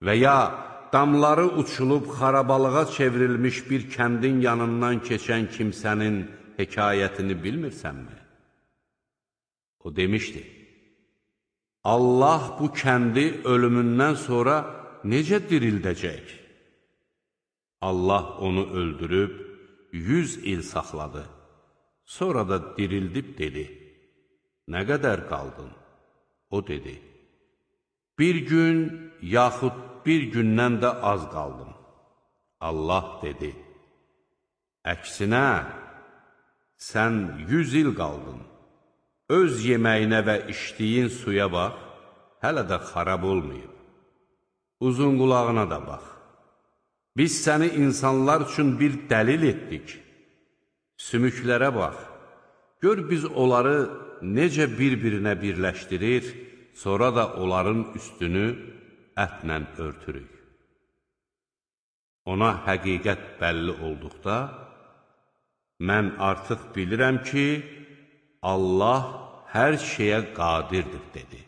Və ya damları uçulub xarabalığa çevrilmiş bir kəndin yanından keçən kimsənin hekayətini bilmirsənmi? O demişdi, Allah bu kəndi ölümündən sonra necə dirildəcək? Allah onu öldürüb 100 il saxladı. Sonra da dirildib dedi, nə qədər qaldın? O dedi, bir gün yaxud bir gündən də az qaldım. Allah dedi, əksinə, sən 100 il qaldın. Öz yeməyinə və içdiyin suya bax, hələ də xarab olmayıb. Uzun qulağına da bax. Biz səni insanlar üçün bir dəlil etdik. Sümüklərə bax, gör biz onları necə bir-birinə birləşdirir, sonra da onların üstünü ətlə örtürük. Ona həqiqət bəlli olduqda, mən artıq bilirəm ki, Allah hər şeyə qadirdir, dedi.